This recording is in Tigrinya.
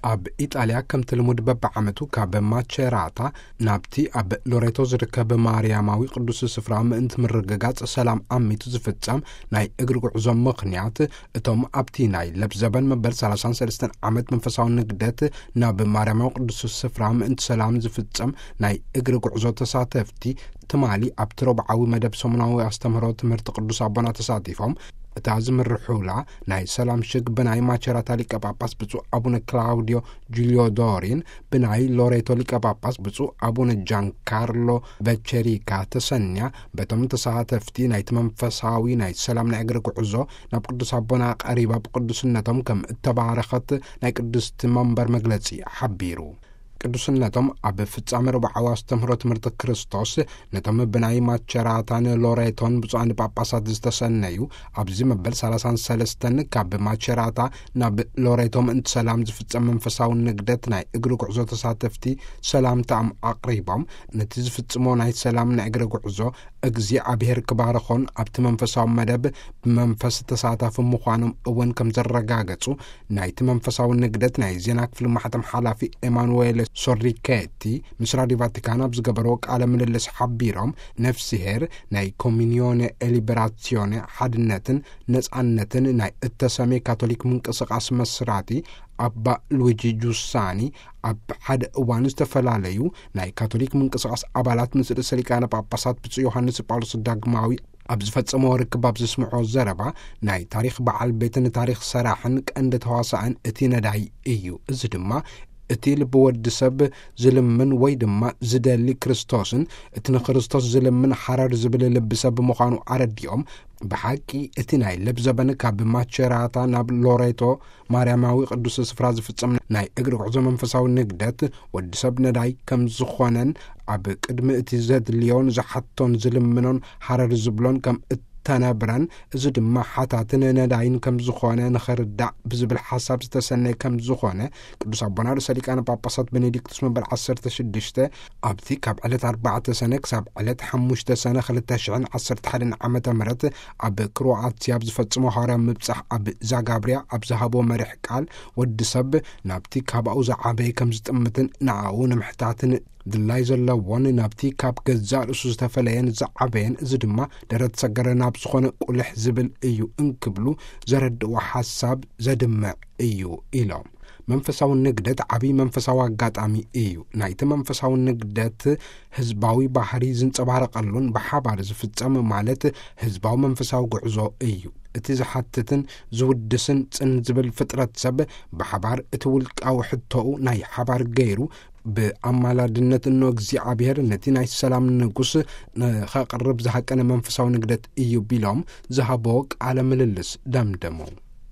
ኣብ ኢጣልያ ከምቲ ልሙድ በብዓመቱ ካብ ማቸራታ ናብቲ ኣብ ሎሬቶ ዝርከብ ማርያማዊ ቅዱስ ስፍራ ምእንቲ ምርግጋጽ ሰላም ኣሚቱ ዝፍጸም ናይ እግሪ ጉዕዞ ምኽንያት፣ እቶም ኣብቲ ናይ ለብዘበን መበል ሰላሳን ሰለስተን ዓመት መንፈሳዊ ንግደት ናብ ማርያማዊ ቅዱስ ስፍራ ምእንቲ ሰላም ዝፍጸም ናይ እግሪ ጉዕዞ ተሳተፍቲ፣ ትማሊ ኣብቲ ረቡዓዊ መደብ ሰሙናዊ ኣስተምህሮ ትምህርቲ ቅዱስ ኣቦና ተሳቲፎም፣ እታ ዝምርሑላ ናይ ሰላም ሽግ ብናይ ማቸራታ ሊቀ ጳጳስ ብፁዕ ኣቡነ ክላውዲዮ ጁልዮ ዶሪን፣ ብናይ ሎሬቶ ሊቀ ጳጳስ ብፁዕ ኣቡነ ጃንካርሎ ቨቸሪካ ተሰንያ፣ በቶም ተሳተፍቲ ናይቲ መንፈሳዊ ናይ ሰላም ናይ እግሪ ጉዕዞ ናብ ቅዱስ ኣቦና ቀሪባ ብቅዱስነቶም ከም እተባረኸት ናይ ቅድስቲ መንበር መግለጺ ሓቢሩ። ቅዱስነቶም ኣብ ፍጻሜ ረቡዓዊ ኣስተምህሮ ትምህርቲ ክርስቶስ፣ ነቶም ብናይ ማቸራታን ሎሬቶን ብፁዓን ጳጳሳት ዝተሰነዩ፣ ኣብዚ መበል ሰላሳን ሰለስተን ካብ ማቸራታ ናብ ሎሬቶ ምእንቲ ሰላም ዝፍጸም መንፈሳዊ ንግደት ናይ እግሪ ጉዕዞ ተሳተፍቲ ሰላምታኦም ኣቕሪቦም፣ ነቲ ዝፍጽሞ ናይ ሰላም ናይ እግሪ ጉዕዞ እግዚኣብሔር ክባርኾን ኣብቲ መንፈሳዊ መደብ ብመንፈስ ተሳታፊ ምዃኖም እውን ከም ዘረጋገጹ ናይቲ መንፈሳዊ ንግደት ናይ ዜና ክፍሊ ማሕተም ሓላፊ ኤማኑዌል ሶሪኬቲ ምስ ራዲዮ ቫቲካን ኣብ ዝገበርዎ ቃለ ምልልስ ሓቢሮም፣ ነፍስሄር ናይ ኮሚኒዮኔ ኤሊበራሲዮኔ ሓድነትን ነጻነትን ናይ እተሰሜ ካቶሊክ ምንቅስቃስ መስራቲ ኣባ ሉዊጂ ጁሳኒ ኣብ ሓደ እዋን ዝተፈላለዩ ናይ ካቶሊክ ምንቅስቃስ ኣባላት ምስ ርእሰ ሊቃነ ጳጳሳት ብፁዕ ዮሃንስ ጳውሎስ ዳግማዊ ኣብ ዝፈጸሞ ርክብ ኣብ ዘስምዖ ዘረባ፣ ናይ ታሪኽ በዓል ቤትን ታሪኽ ሰራሕን ቀንዲ ተዋሳእን እቲ ነዳይ እዩ። እዚ ድማ እቲ ልቢ ወዲ ሰብ ዝልምን ወይ ድማ ዝደሊ ክርስቶስን፣ እቲ ንክርስቶስ ዝልምን ሓረር ዝብል ልቢ ሰብ ምዃኑ ኣረዲኦም፣ ብሓቂ እቲ ናይ ለብዘበን ካብ ማቸራታ ናብ ሎሬቶ ማርያማዊ ቅዱስ ስፍራ ዝፍጸም ናይ እግሪ ጉዕዞ መንፈሳዊ ንግደት ወዲ ሰብ ነዳይ ከም ዝኾነን፣ ኣብ ቅድሚ እቲ ዘድልዮን ዝሓቶን ዝልምኖን ሓረር ዝብሎን ከም እተነብረን፣ እዚ ድማ ሓታትን ነዳይን ከም ዝኾነ ንኽርዳእ ብዝብል ሓሳብ ዝተሰነየ ከም ዝኾነ ቅዱስ ኣቦና ርእሰ ሊቃነ ጳጳሳት ቤኔዲክቱስ መበል ዓሰርተ ሽዱሽተ ኣብቲ ካብ ዕለት ኣርባዕተ ሰነ ክሳብ ዕለት ሓሙሽተ ሰነ ክልተ ሽሕን ዓሰርተ ሓደን ዓመተ ምህረት ኣብ ክሮኣትያ ኣብ ዝፈጽሞ ሃዋርያዊ ምብጻሕ ኣብ ዛጋብርያ ኣብ ዝሃቦ መሪሕ ቃል፣ ወዲ ሰብ ናብቲ ካባኡ ዝዓበየ ከም ዝጥምትን ንኣኡ ንምሕታትን ድላይ ዘለዎን ናብቲ ካብ ገዛእ ርእሱ ዝተፈለየን ዝዓበየን፣ እዚ ድማ ደረት ሰገረ ናብ ዝኾነ ቁልሕ ዝብል እዩ እንክብሉ ዘረድእዎ ሓሳብ ዘድምዕ እዩ ኢሎም። መንፈሳዊ ንግደት ዓብዪ መንፈሳዊ ኣጋጣሚ እዩ። ናይቲ መንፈሳዊ ንግደት ህዝባዊ ባህሪ ዝንጸባረቐሉን ብሓባር ዝፍጸም ማለት ህዝባዊ መንፈሳዊ ጉዕዞ እዩ። እቲ ዝሓትትን ዝውድስን ጽን ዝብል ፍጥረት ሰብ ብሓባር እቲ ውልቃዊ ሕቶኡ ናይ ሓባር ገይሩ ብኣማላድነት እኖ እግዚኣብሔር ነቲ ናይ ሰላም ንጉስ ንኸቕርብ ዝሃቀነ መንፈሳዊ ንግደት እዩ ቢሎም ዝሃቦ ቃለ ምልልስ ደምደሙ።